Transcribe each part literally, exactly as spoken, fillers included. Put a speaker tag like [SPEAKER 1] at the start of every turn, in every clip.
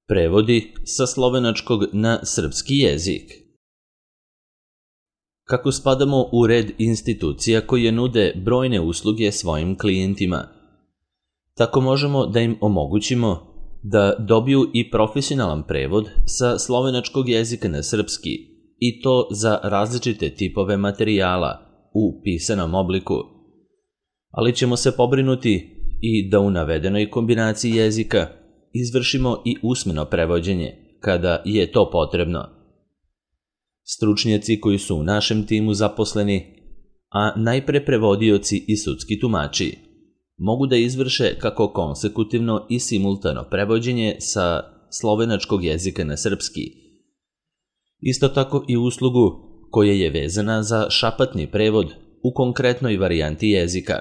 [SPEAKER 1] Prevodi sa slovenačkog na srpski jezik. Kako spadamo u red institucija koje nude brojne usluge svojim klijentima, tako možemo da im omogućimo da dobiju i profesionalan prevod sa slovenačkog jezika na srpski, i to za različite tipove materijala u pisanom obliku. Ali ćemo se pobrinuti i da u navedenoj kombinaciji jezika izvršimo i usmeno prevođenje, kada je to potrebno. Stručnjaci koji su u našem timu zaposleni, a najpre prevodioci i sudski tumači, mogu da izvrše kako konsekutivno i simultano prevođenje sa slovenačkog jezika na srpski. Isto tako i uslugu koja je vezana za šapatni prevod u konkretnoj varijanti jezika.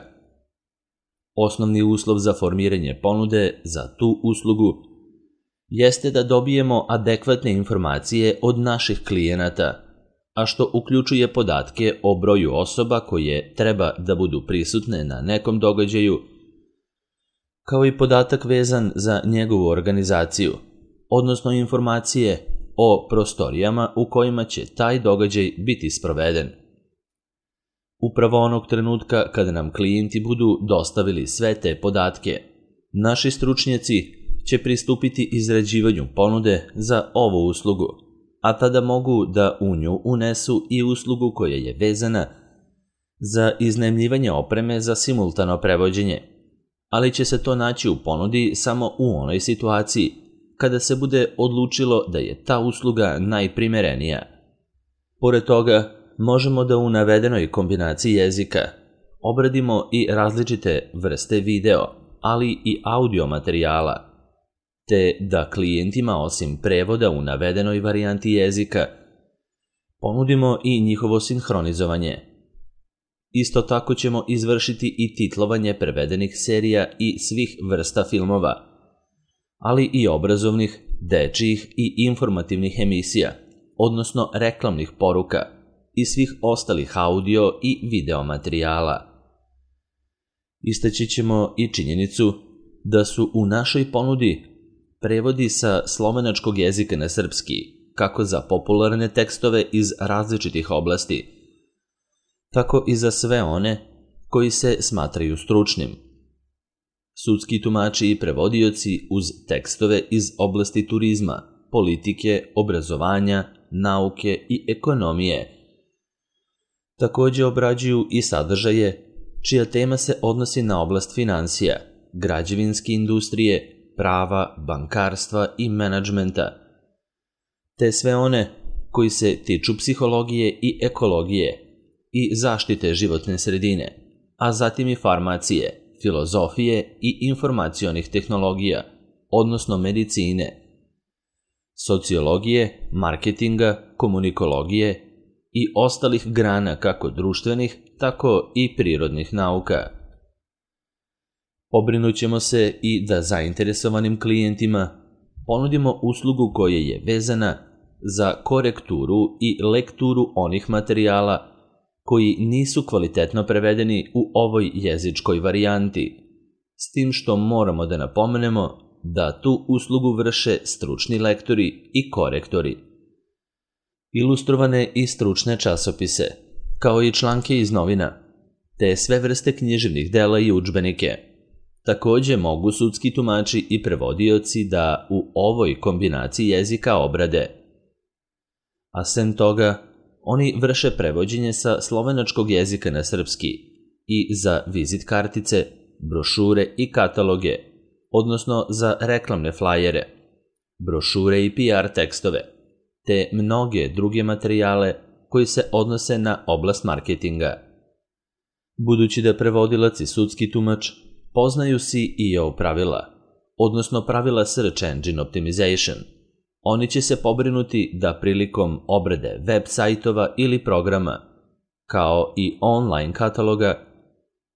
[SPEAKER 1] Osnovni uslov za formiranje ponude za tu uslugu jeste da dobijemo adekvatne informacije od naših klijenata, a što uključuje podatke o broju osoba koje treba da budu prisutne na nekom događaju, kao i podatak vezan za njegovu organizaciju, odnosno informacije o prostorijama u kojima će taj događaj biti sproveden. Upravo onog trenutka kada nam klijenti budu dostavili sve te podatke, naši stručnjaci će pristupiti izrađivanju ponude za ovu uslugu, a tada mogu da u nju unesu i uslugu koja je vezana za iznajmljivanje opreme za simultano prevođenje, ali će se to naći u ponudi samo u onoj situaciji kada se bude odlučilo da je ta usluga najprimerenija. Pored toga, možemo da u navedenoj kombinaciji jezika obradimo i različite vrste video, ali i audio materijala, te da klijentima osim prevoda u navedenoj varijanti jezika ponudimo i njihovo sinhronizovanje. Isto tako ćemo izvršiti i titlovanje prevedenih serija i svih vrsta filmova, ali i obrazovnih, dečijih i informativnih emisija, odnosno reklamnih poruka i svih ostalih audio i video materijala. Istaći ćemo i činjenicu da su u našoj ponudi prevodi sa slovenačkog jezika na srpski, kako za popularne tekstove iz različitih oblasti, tako i za sve one koji se smatraju stručnim. Sudski tumači i prevodioci uz tekstove iz oblasti turizma, politike, obrazovanja, nauke i ekonomije takođe obrađuju i sadržaje čija tema se odnosi na oblast finansija, građevinske industrije, prava, bankarstva i menadžmenta, te sve one koji se tiču psihologije i ekologije i zaštite životne sredine, a zatim i farmacije, filozofije i informacionih tehnologija, odnosno medicine, sociologije, marketinga, komunikologije i ostalih grana kako društvenih, tako i prirodnih nauka. Pobrinut ćemo se i da zainteresovanim klijentima ponudimo uslugu koja je vezana za korekturu i lekturu onih materijala koji nisu kvalitetno prevedeni u ovoj jezičkoj varijanti, s tim što moramo da napomenemo da tu uslugu vrše stručni lektori i korektori. Ilustrovane i stručne časopise, kao i članke iz novina, te sve vrste književnih dela i udžbenike, takođe mogu sudski tumači i prevodioci da u ovoj kombinaciji jezika obrade. A sem toga, oni vrše prevođenje sa slovenačkog jezika na srpski i za vizit kartice, brošure i kataloge, odnosno za reklamne flajere, brošure i P R tekstove, te mnoge druge materijale koji se odnose na oblast marketinga. Budući da prevodilac i sudski tumač poznaju S E O pravila, odnosno pravila Search Engine Optimization, oni će se pobrinuti da prilikom obrade web sajtova ili programa, kao i online kataloga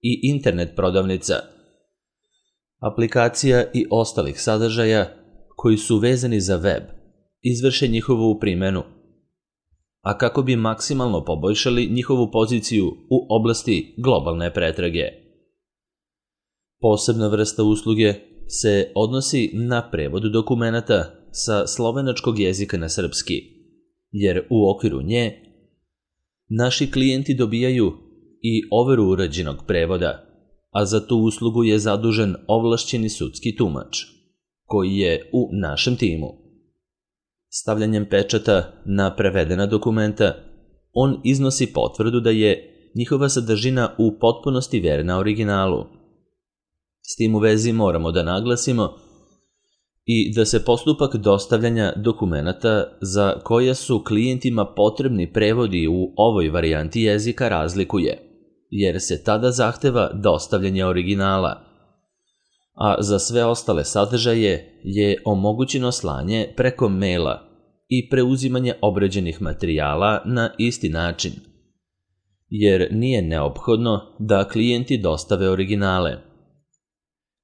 [SPEAKER 1] i internet prodavnica, aplikacija i ostalih sadržaja koji su vezani za web, izvrše njihovu primjenu, a kako bi maksimalno poboljšali njihovu poziciju u oblasti globalne pretrage. Posebna vrsta usluge se odnosi na prevod dokumenata sa slovenačkog jezika na srpski, jer u okviru nje naši klijenti dobijaju i overu urađenog prevoda, a za tu uslugu je zadužen ovlašćeni sudski tumač, koji je u našem timu. Stavljanjem pečata na prevedena dokumenta, on iznosi potvrdu da je njihova sadržina u potpunosti verna originalu. S tim u vezi moramo da naglasimo i da se postupak dostavljanja dokumenata za koje su klijentima potrebni prevodi u ovoj varijanti jezika razlikuje, jer se tada zahteva dostavljanje originala, a za sve ostale sadržaje je omogućeno slanje preko maila i preuzimanje obrađenih materijala na isti način, jer nije neophodno da klijenti dostave originale.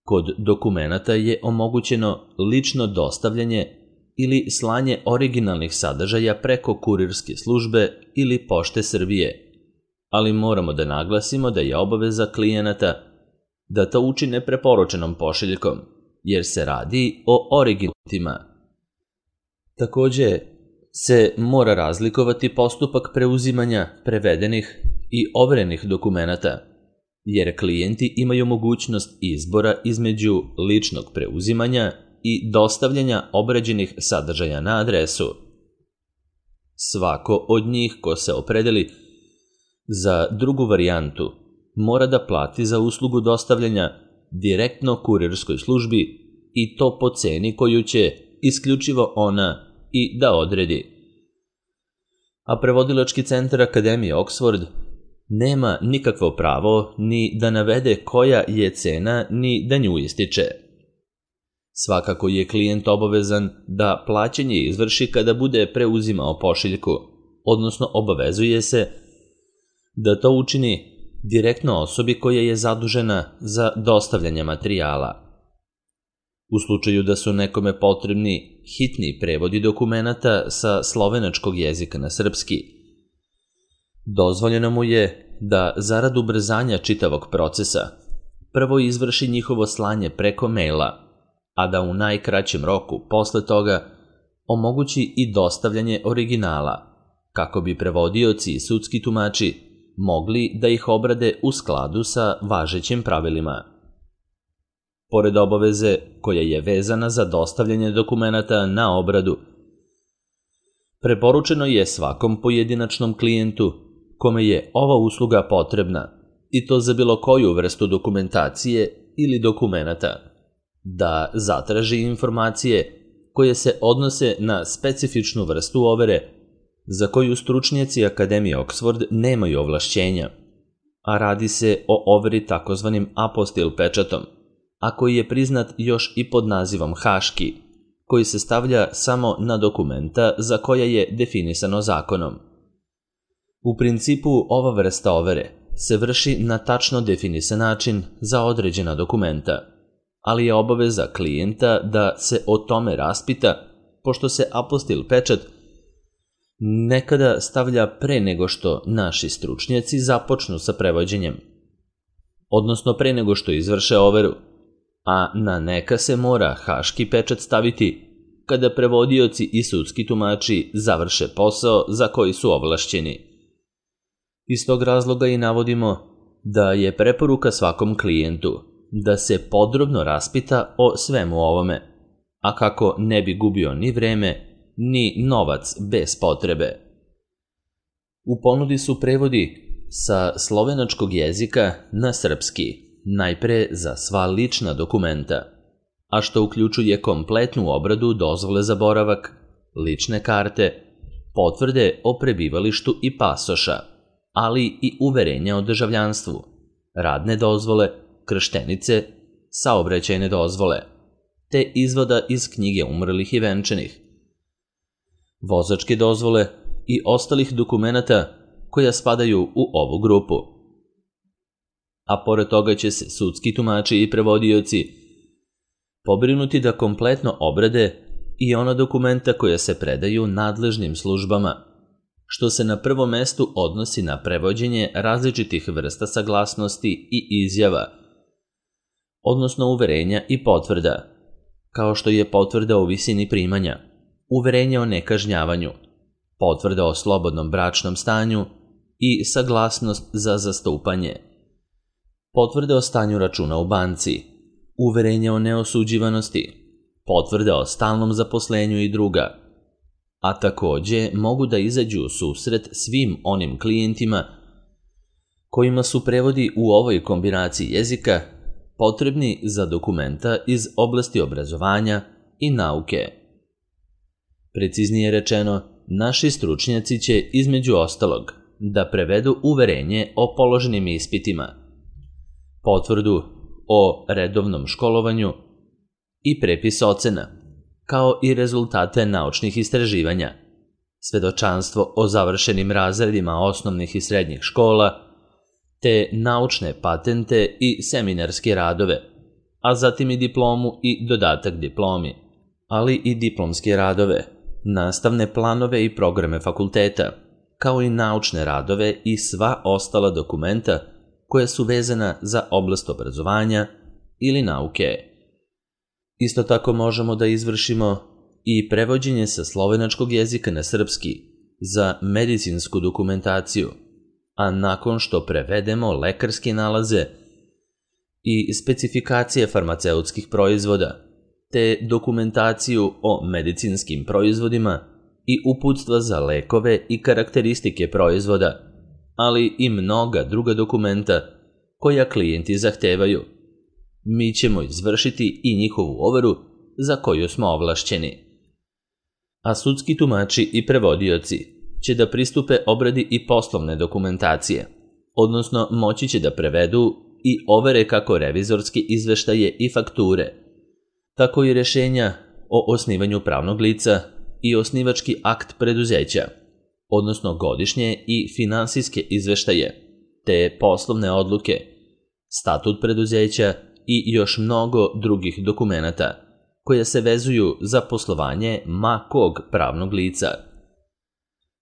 [SPEAKER 1] Kod dokumenata je omogućeno lično dostavljanje ili slanje originalnih sadržaja preko kurirske službe ili Pošte Srbije, ali moramo da naglasimo da je obaveza klijenata da to učine preporučenom pošiljkom, jer se radi o originalima. Takođe se mora razlikovati postupak preuzimanja prevedenih i overenih dokumenata, jer klijenti imaju mogućnost izbora između ličnog preuzimanja i dostavljanja obrađenih sadržaja na adresu. Svako od njih ko se opredeli za drugu varijantu mora da plati za uslugu dostavljanja direktno kurirskoj službi i to po ceni koju će isključivo ona i da odredi. A prevodilački centar Akademije Oxford nema nikakvo pravo ni da navede koja je cena ni da nju ističe. Svakako je klijent obavezan da plaćanje izvrši kada bude preuzimao pošiljku, odnosno obavezuje se da to učini direktno osobi koja je zadužena za dostavljanje materijala. U slučaju da su nekome potrebni hitni prevodi dokumenata sa slovenačkog jezika na srpski, dozvoljeno mu je da zarad ubrzanja čitavog procesa prvo izvrši njihovo slanje preko maila, a da u najkraćem roku posle toga omogući i dostavljanje originala, kako bi prevodioci i sudski tumači mogli da ih obrade u skladu sa važećim pravilima. Pored obaveze koja je vezana za dostavljanje dokumenata na obradu, preporučeno je svakom pojedinačnom klijentu kome je ova usluga potrebna, i to za bilo koju vrstu dokumentacije ili dokumenata, da zatraži informacije koje se odnose na specifičnu vrstu overe za koju stručnjaci Akademije Oxford nemaju ovlašćenja, a radi se o overi takozvanim apostil pečatom, a koji je priznat još i pod nazivom haški, koji se stavlja samo na dokumenta za koja je definisano zakonom. U principu ova vrsta overe se vrši na tačno definisan način za određena dokumenta, ali je obaveza klijenta da se o tome raspita, pošto se apostil pečat nekada stavlja pre nego što naši stručnjaci započnu sa prevođenjem, odnosno pre nego što izvrše overu, a na neka se mora haški pečat staviti kada prevodioci i sudski tumači završe posao za koji su ovlašćeni. Iz tog razloga i navodimo da je preporuka svakom klijentu da se podrobno raspita o svemu ovome, a kako ne bi gubio ni vreme, ni novac bez potrebe. U ponudi su prevodi sa slovenačkog jezika na srpski, najpre za sva lična dokumenta, a što uključuje kompletnu obradu dozvole za boravak, lične karte, potvrde o prebivalištu i pasoša, ali i uverenja o državljanstvu, radne dozvole, krštenice, saobraćajne dozvole, te izvoda iz knjige umrlih i venčanih, vozačke dozvole i ostalih dokumenata koja spadaju u ovu grupu. A pored toga će se sudski tumači i prevodioci pobrinuti da kompletno obrade i ona dokumenta koja se predaju nadležnim službama, što se na prvom mestu odnosi na prevođenje različitih vrsta saglasnosti i izjava, odnosno uverenja i potvrda, kao što je potvrda o visini primanja, uverenje o nekažnjavanju, potvrda o slobodnom bračnom stanju i saglasnost za zastupanje, potvrda o stanju računa u banci, uverenje o neosuđivanosti, potvrda o stalnom zaposlenju i druga, a takođe mogu da izađu u susret svim onim klijentima kojima su prevodi u ovoj kombinaciji jezika potrebni za dokumenta iz oblasti obrazovanja i nauke. Preciznije rečeno, naši stručnjaci će između ostalog da prevedu uverenje o položenim ispitima, potvrdu o redovnom školovanju i prepis ocena, kao i rezultate naučnih istraživanja, svedočanstvo o završenim razredima osnovnih i srednjih škola, te naučne patente i seminarske radove, a zatim i diplomu i dodatak diplomi, ali i diplomske radove, nastavne planove i programe fakulteta, kao i naučne radove i sva ostala dokumenta koja su vezana za oblast obrazovanja ili nauke. Isto tako možemo da izvršimo i prevođenje sa slovenačkog jezika na srpski za medicinsku dokumentaciju, a nakon što prevedemo lekarske nalaze i specifikacije farmaceutskih proizvoda, te dokumentaciju o medicinskim proizvodima i uputstva za lekove i karakteristike proizvoda, ali i mnoga druga dokumenta koja klijenti zahtevaju, mi ćemo izvršiti i njihovu overu za koju smo ovlašćeni. A sudski tumači i prevodioci će da pristupe obradi i poslovne dokumentacije, odnosno moći će da prevedu i overe kako revizorske izveštaje i fakture, tako i rešenja o osnivanju pravnog lica i osnivački akt preduzeća, odnosno godišnje i finansijske izveštaje, te poslovne odluke, statut preduzeća i još mnogo drugih dokumenata koja se vezuju za poslovanje ma kog pravnog lica.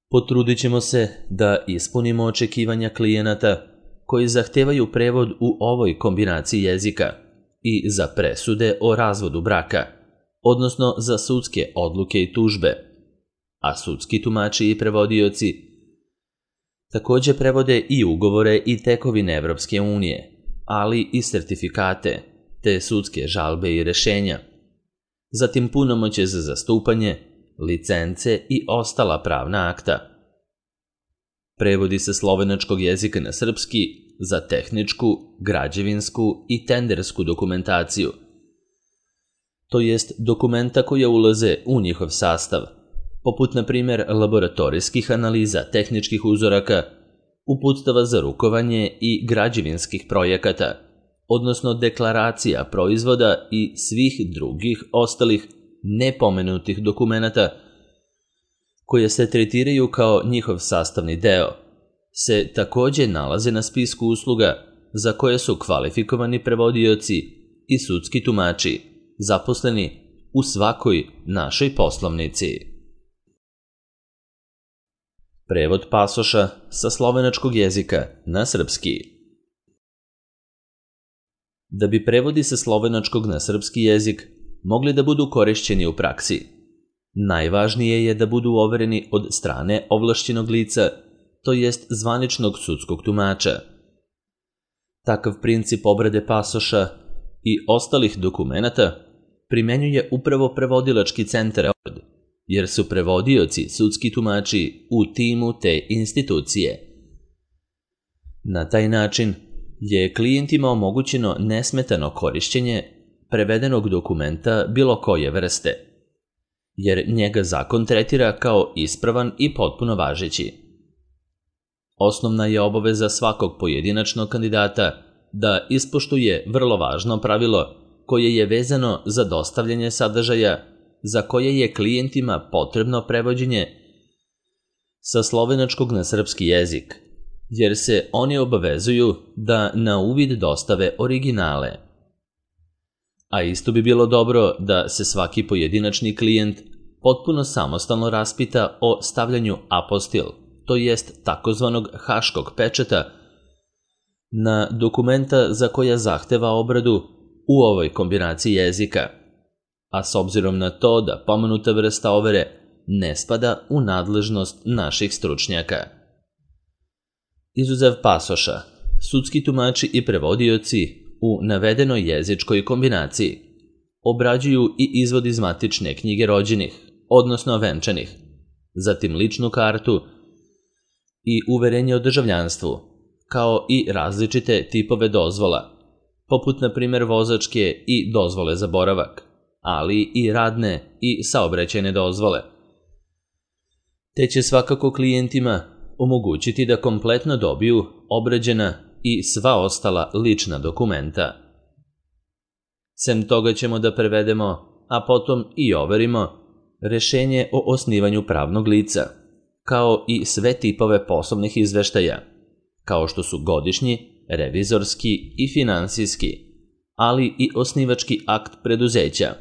[SPEAKER 1] Potrudit ćemo se da ispunimo očekivanja klijenata koji zahtevaju prevod u ovoj kombinaciji jezika i za presude o razvodu braka, odnosno za sudske odluke i tužbe, a sudski tumači i prevodioci takođe prevode i ugovore i tekovine Evropske unije, ali i sertifikate, te sudske žalbe i rešenja, zatim punomoćje za zastupanje, licence i ostala pravna akta. Prevodi se slovenačkog jezika na srpski za tehničku, građevinsku i tendersku dokumentaciju, to jest dokumenta koja ulaze u njihov sastav, poput na primjer laboratorijskih analiza tehničkih uzoraka, uputstava za rukovanje i građevinskih projekata, odnosno deklaracija proizvoda i svih drugih ostalih nepomenutih dokumenata koje se tretiraju kao njihov sastavni deo, se takođe nalaze na spisku usluga za koje su kvalifikovani prevodioci i sudski tumači zaposleni u svakoj našoj poslovnici. Prevod pasoša sa slovenačkog jezika na srpski. Da bi prevodi sa slovenačkog na srpski jezik mogli da budu korišćeni u praksi, najvažnije je da budu overeni od strane ovlašćenog lica, to jest zvaničnog sudskog tumača. Takav princip obrade pasoša i ostalih dokumenata primenjuje upravo prevodilački centar, jer su prevodioci sudski tumači u timu te institucije. Na taj način je klijentima omogućeno nesmetano korišćenje prevedenog dokumenta bilo koje vrste, jer njega zakon tretira kao ispravan i potpuno važeći. Osnovna je obaveza svakog pojedinačnog kandidata da ispoštuje vrlo važno pravilo koje je vezano za dostavljanje sadržaja za koje je klijentima potrebno prevođenje sa slovenačkog na srpski jezik, jer se oni obavezuju da na uvid dostave originale. A isto bi bilo dobro da se svaki pojedinačni klijent potpuno samostalno raspita o stavljanju apostil, to jest takozvanog haškog pečata, na dokumenta za koja zahteva obradu u ovoj kombinaciji jezika, a s obzirom na to da pomenuta vrsta overe ne spada u nadležnost naših stručnjaka. Izuzev pasoša, sudski tumači i prevodioci u navedenoj jezičkoj kombinaciji obrađuju i izvod iz matične knjige rođenih, odnosno venčanih, zatim ličnu kartu i uverenje o državljanstvu, kao i različite tipove dozvola, poput na primjer vozačke i dozvole za boravak, ali i radne i saobraćajne dozvole. Te će svakako klijentima omogućiti da kompletno dobiju obrađena i sva ostala lična dokumenta. Sem toga ćemo da prevedemo, a potom i overimo, rešenje o osnivanju pravnog lica, kao i sve tipove poslovnih izveštaja, kao što su godišnji, revizorski i finansijski, ali i osnivački akt preduzeća,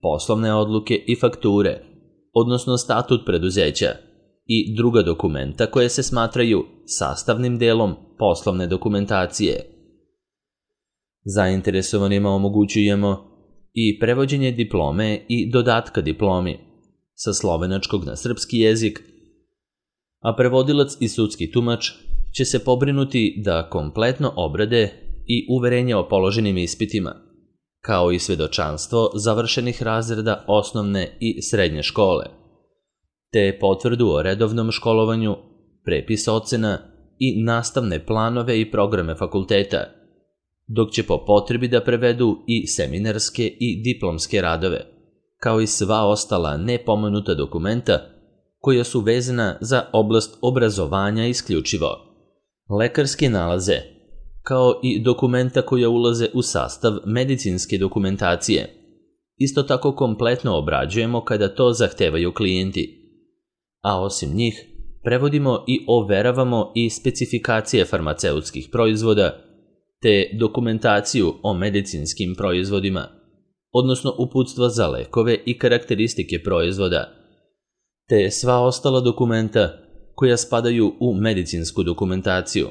[SPEAKER 1] poslovne odluke i fakture, odnosno statut preduzeća i druga dokumenta koje se smatraju sastavnim delom poslovne dokumentacije. Zainteresovanima omogućujemo i prevođenje diplome i dodatka diplomi sa slovenačkog na srpski jezik, a prevodilac i sudski tumač će se pobrinuti da kompletno obrade i uverenje o položenim ispitima, kao i svedočanstvo završenih razreda osnovne i srednje škole, te potvrdu o redovnom školovanju, prepis ocena i nastavne planove i programe fakulteta, dok će po potrebi da prevedu i seminarske i diplomske radove, kao i sva ostala nepomenuta dokumenta koja su vezana za oblast obrazovanja isključivo, lekarske nalaze, kao i dokumenta koja ulaze u sastav medicinske dokumentacije. Isto tako kompletno obrađujemo kada to zahtevaju klijenti. A osim njih, prevodimo i overavamo i specifikacije farmaceutskih proizvoda, te dokumentaciju o medicinskim proizvodima, odnosno uputstva za lekove i karakteristike proizvoda, te sva ostala dokumenta koja spadaju u medicinsku dokumentaciju.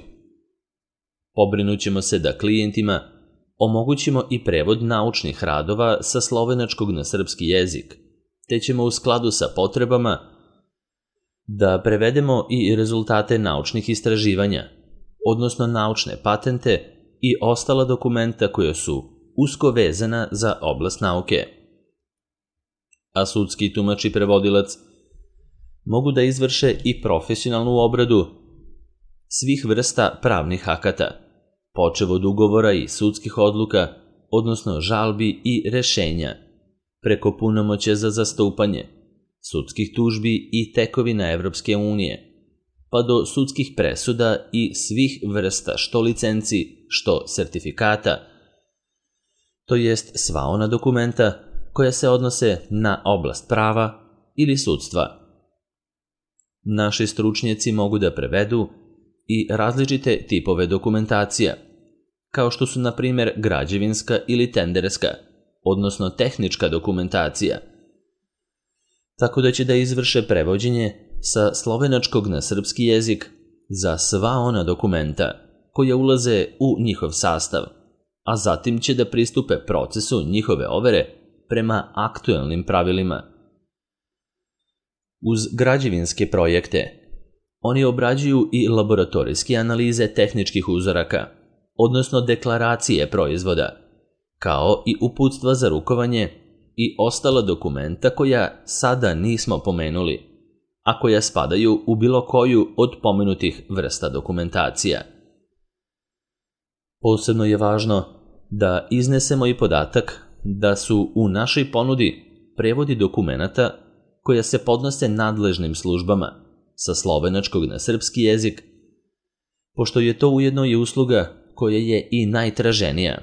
[SPEAKER 1] Pobrinut ćemo se da klijentima omogućimo i prevod naučnih radova sa slovenačkog na srpski jezik, te ćemo u skladu sa potrebama da prevedemo i rezultate naučnih istraživanja, odnosno naučne patente i ostala dokumenta koja su usko vezana za oblast nauke. A sudski tumač i prevodilac mogu da izvrše i profesionalnu obradu svih vrsta pravnih akata, počev od ugovora i sudskih odluka, odnosno žalbi i rešenja, preko punomoćja za zastupanje, sudskih tužbi i tekovina Evropske unije, pa do sudskih presuda i svih vrsta što licenci, što sertifikata, to jest sva ona dokumenta koja se odnose na oblast prava ili sudstva. Naši stručnjaci mogu da prevedu i različite tipove dokumentacija, kao što su na primjer građevinska ili tenderska, odnosno tehnička dokumentacija, tako da će da izvrše prevođenje sa slovenačkog na srpski jezik za sva ona dokumenta koja ulaze u njihov sastav, a zatim će da pristupe procesu njihove overe prema aktuelnim pravilima. Uz građevinske projekte, oni obrađuju i laboratorijske analize tehničkih uzoraka, odnosno deklaracije proizvoda, kao i uputstva za rukovanje i ostala dokumenta koja sada nismo pomenuli, a koja spadaju u bilo koju od pomenutih vrsta dokumentacija. Posebno je važno da iznesemo i podatak da su u našoj ponudi prevodi dokumenata koja se podnose nadležnim službama sa slovenačkog na srpski jezik, pošto je to ujedno i usluga koja je i najtraženija.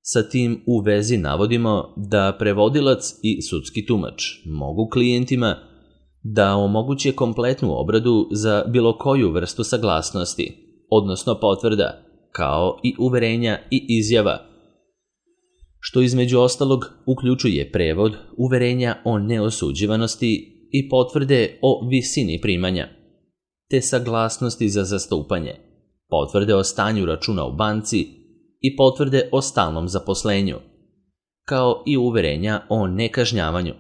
[SPEAKER 1] Sa tim u vezi navodimo da prevodilac i sudski tumač mogu klijentima da omoguće kompletnu obradu za bilo koju vrstu saglasnosti, odnosno potvrda, kao i uverenja i izjava, što između ostalog uključuje prevod uverenja o neosuđivanosti i potvrde o visini primanja, te saglasnosti za zastupanje, potvrde o stanju računa u banci i potvrde o stalnom zaposlenju, kao i uverenja o nekažnjavanju,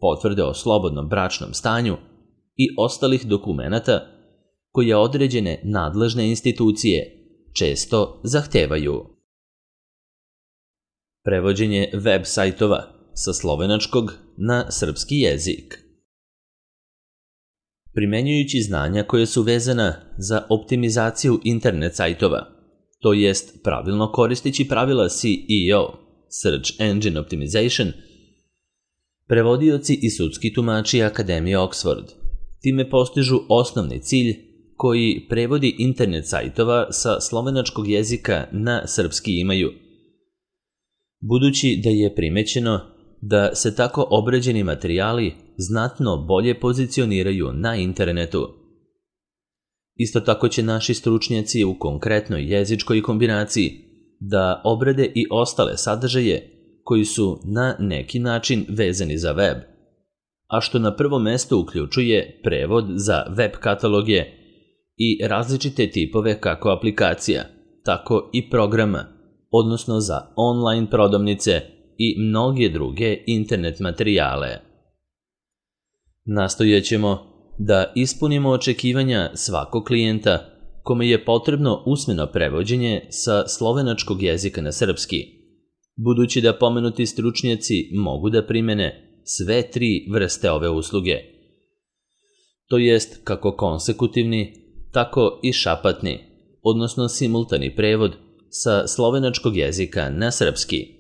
[SPEAKER 1] potvrde o slobodnom bračnom stanju i ostalih dokumenata koje određene nadležne institucije često zahtevaju. Prevođenje web sajtova sa slovenačkog na srpski jezik. Primenjujući znanja koje su vezana za optimizaciju internet sajtova, to jest pravilno koristeći pravila S E O, Search Engine Optimization, prevodioci i sudski tumači Akademije Oxford time postižu osnovni cilj koji prevodi internet sajtova sa slovenačkog jezika na srpski imaju. Budući da je primećeno da se tako obrađeni materijali znatno bolje pozicioniraju na internetu. Isto tako će naši stručnjaci u konkretnoj jezičkoj kombinaciji da obrade i ostale sadržaje koji su na neki način vezani za web, a što na prvom mestu uključuje prevod za web kataloge i različite tipove kako aplikacija, tako i programa, odnosno za online prodavnice i mnoge druge internet materijale. Nastojaćemo da ispunimo očekivanja svakog klijenta kome je potrebno usmeno prevođenje sa slovenačkog jezika na srpski, budući da pomenuti stručnjaci mogu da primene sve tri vrste ove usluge, to jest kako konsekutivni, tako i šapatni, odnosno simultani prevod sa slovenačkog jezika na srpski.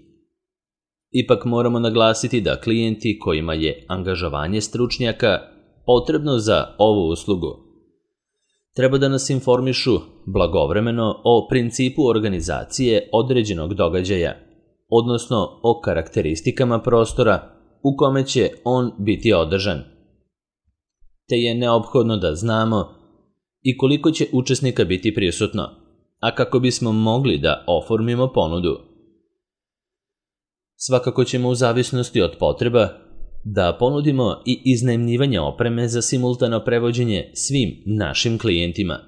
[SPEAKER 1] Ipak moramo naglasiti da klijenti kojima je angažovanje stručnjaka potrebno za ovu uslugu treba da nas informišu blagovremeno o principu organizacije određenog događaja, odnosno o karakteristikama prostora u kome će on biti održan. Te je neophodno da znamo i koliko će učesnika biti prisutno, a kako bismo mogli da oformimo ponudu. Svakako ćemo u zavisnosti od potreba da ponudimo i iznajmljivanje opreme za simultano prevođenje svim našim klijentima.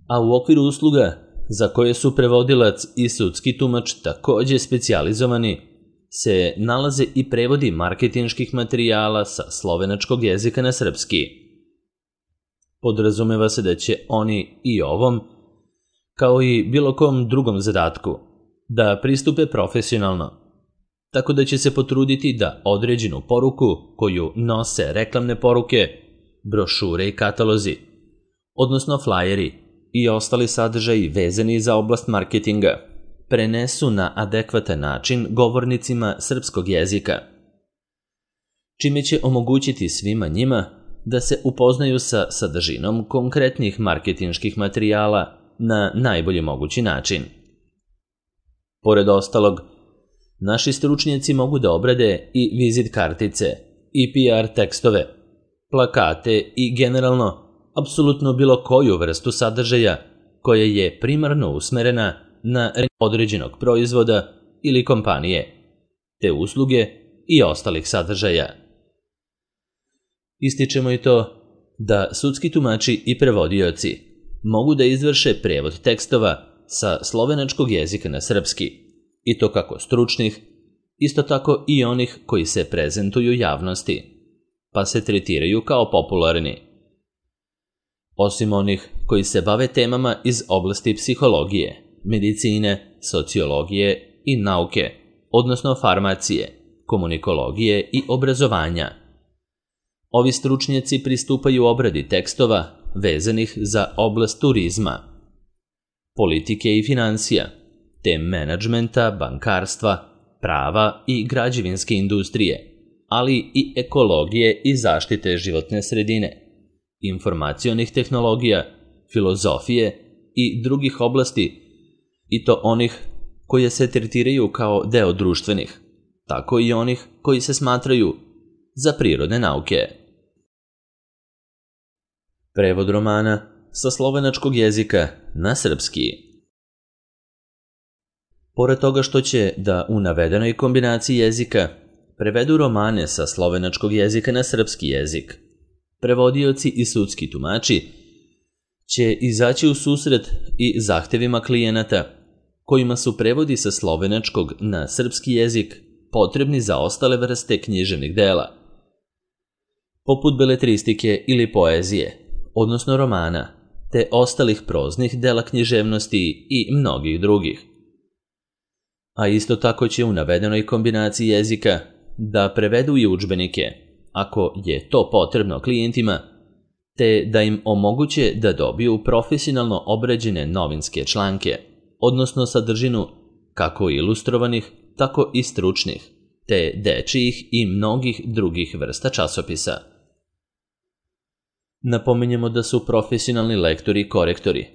[SPEAKER 1] A u okviru usluga za koje su prevodilac i sudski tumač takođe specijalizovani se nalaze i prevodi marketinških materijala sa slovenačkog jezika na srpski. Podrazumeva se da će oni i ovom, kao i bilo kom drugom zadatku, da pristupe profesionalno, tako da će se potruditi da određenu poruku koju nose reklamne poruke, brošure i katalozi, odnosno flajeri i ostali sadržaji vezani za oblast marketinga, prenesu na adekvatan način govornicima srpskog jezika, čime će omogućiti svima njima da se upoznaju sa sadržinom konkretnih marketinških materijala na najbolji mogući način. Pored ostalog, naši stručnjaci mogu da obrade i vizit kartice, i P R tekstove, plakate i generalno apsolutno bilo koju vrstu sadržaja koja je primarno usmerena na određenog proizvoda ili kompanije, te usluge i ostalih sadržaja. Ističemo i to da sudski tumači i prevodioci mogu da izvrše prevod tekstova sa slovenačkog jezika na srpski, i to kako stručnih, isto tako i onih koji se prezentuju javnosti, pa se tretiraju kao popularni. Osim onih koji se bave temama iz oblasti psihologije, medicine, sociologije i nauke, odnosno farmacije, komunikologije i obrazovanja. Ovi stručnjaci pristupaju obradi tekstova vezanih za oblast turizma, politike i financija, te menadžmenta, bankarstva, prava i građevinske industrije, ali i ekologije i zaštite životne sredine, informacionih tehnologija, filozofije i drugih oblasti, i to onih koje se tretiraju kao deo društvenih, tako i onih koji se smatraju za prirodne nauke. Prevod romana sa slovenačkog jezika na srpski. Pored toga što će da u navedenoj kombinaciji jezika prevedu romane sa slovenačkog jezika na srpski jezik, prevodioci i sudski tumači će izaći u susret i zahtevima klijenata kojima su prevodi sa slovenačkog na srpski jezik potrebni za ostale vrste književnih dela, poput beletristike ili poezije, odnosno romana, te ostalih proznih dela književnosti i mnogih drugih. A isto tako će u navedenoj kombinaciji jezika da prevedu i udžbenike, ako je to potrebno klijentima, te da im omoguće da dobiju profesionalno obrađene novinske članke, odnosno sadržinu kako ilustrovanih, tako i stručnih, te dečijih i mnogih drugih vrsta časopisa. Napominjemo da su profesionalni lektori i korektori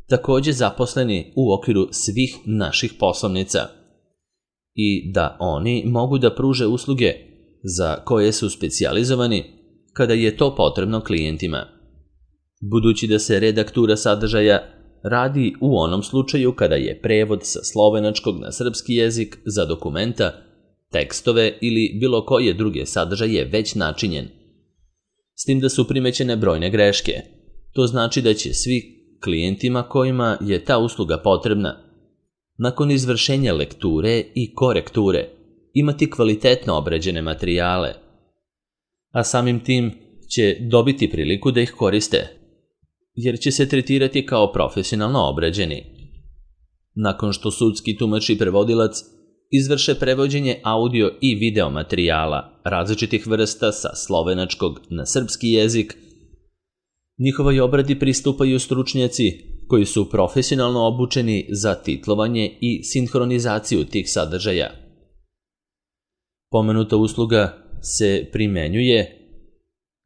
[SPEAKER 1] također zaposleni u okviru svih naših poslovnica i da oni mogu da pruže usluge za koje su specijalizovani kada je to potrebno klijentima. Budući da se redaktura sadržaja radi u onom slučaju kada je prevod sa slovenačkog na srpski jezik za dokumenta, tekstove ili bilo koje druge sadržaje već načinjen, s tim da su primećene brojne greške. To znači da će svi klijentima kojima je ta usluga potrebna, nakon izvršenja lekture i korekture, imati kvalitetno obrađene materijale, a samim tim će dobiti priliku da ih koriste, jer će se tretirati kao profesionalno obrađeni. Nakon što sudski tumač i prevodilac izvrše prevođenje audio i video materijala različitih vrsta sa slovenačkog na srpski jezik, njihovoj obradi pristupaju stručnjaci koji su profesionalno obučeni za titlovanje i sinhronizaciju tih sadržaja. Pomenuta usluga se primenjuje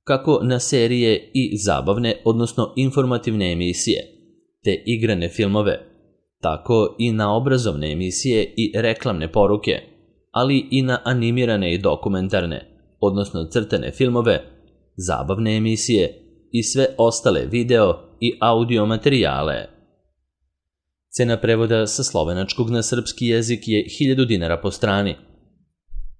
[SPEAKER 1] kako na serije i zabavne, odnosno informativne emisije, te igrane filmove, tako i na obrazovne emisije i reklamne poruke, ali i na animirane i dokumentarne, odnosno crtane filmove, zabavne emisije i sve ostale video i audio materijale. Cena prevoda sa slovenačkog na srpski jezik je hiljadu dinara po strani.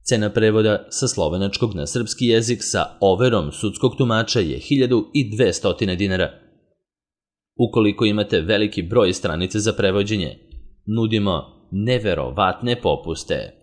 [SPEAKER 1] Cena prevoda sa slovenačkog na srpski jezik sa overom sudskog tumača je hiljadu dvesta dinara. Ukoliko imate veliki broj stranice za prevođenje, nudimo neverovatne popuste.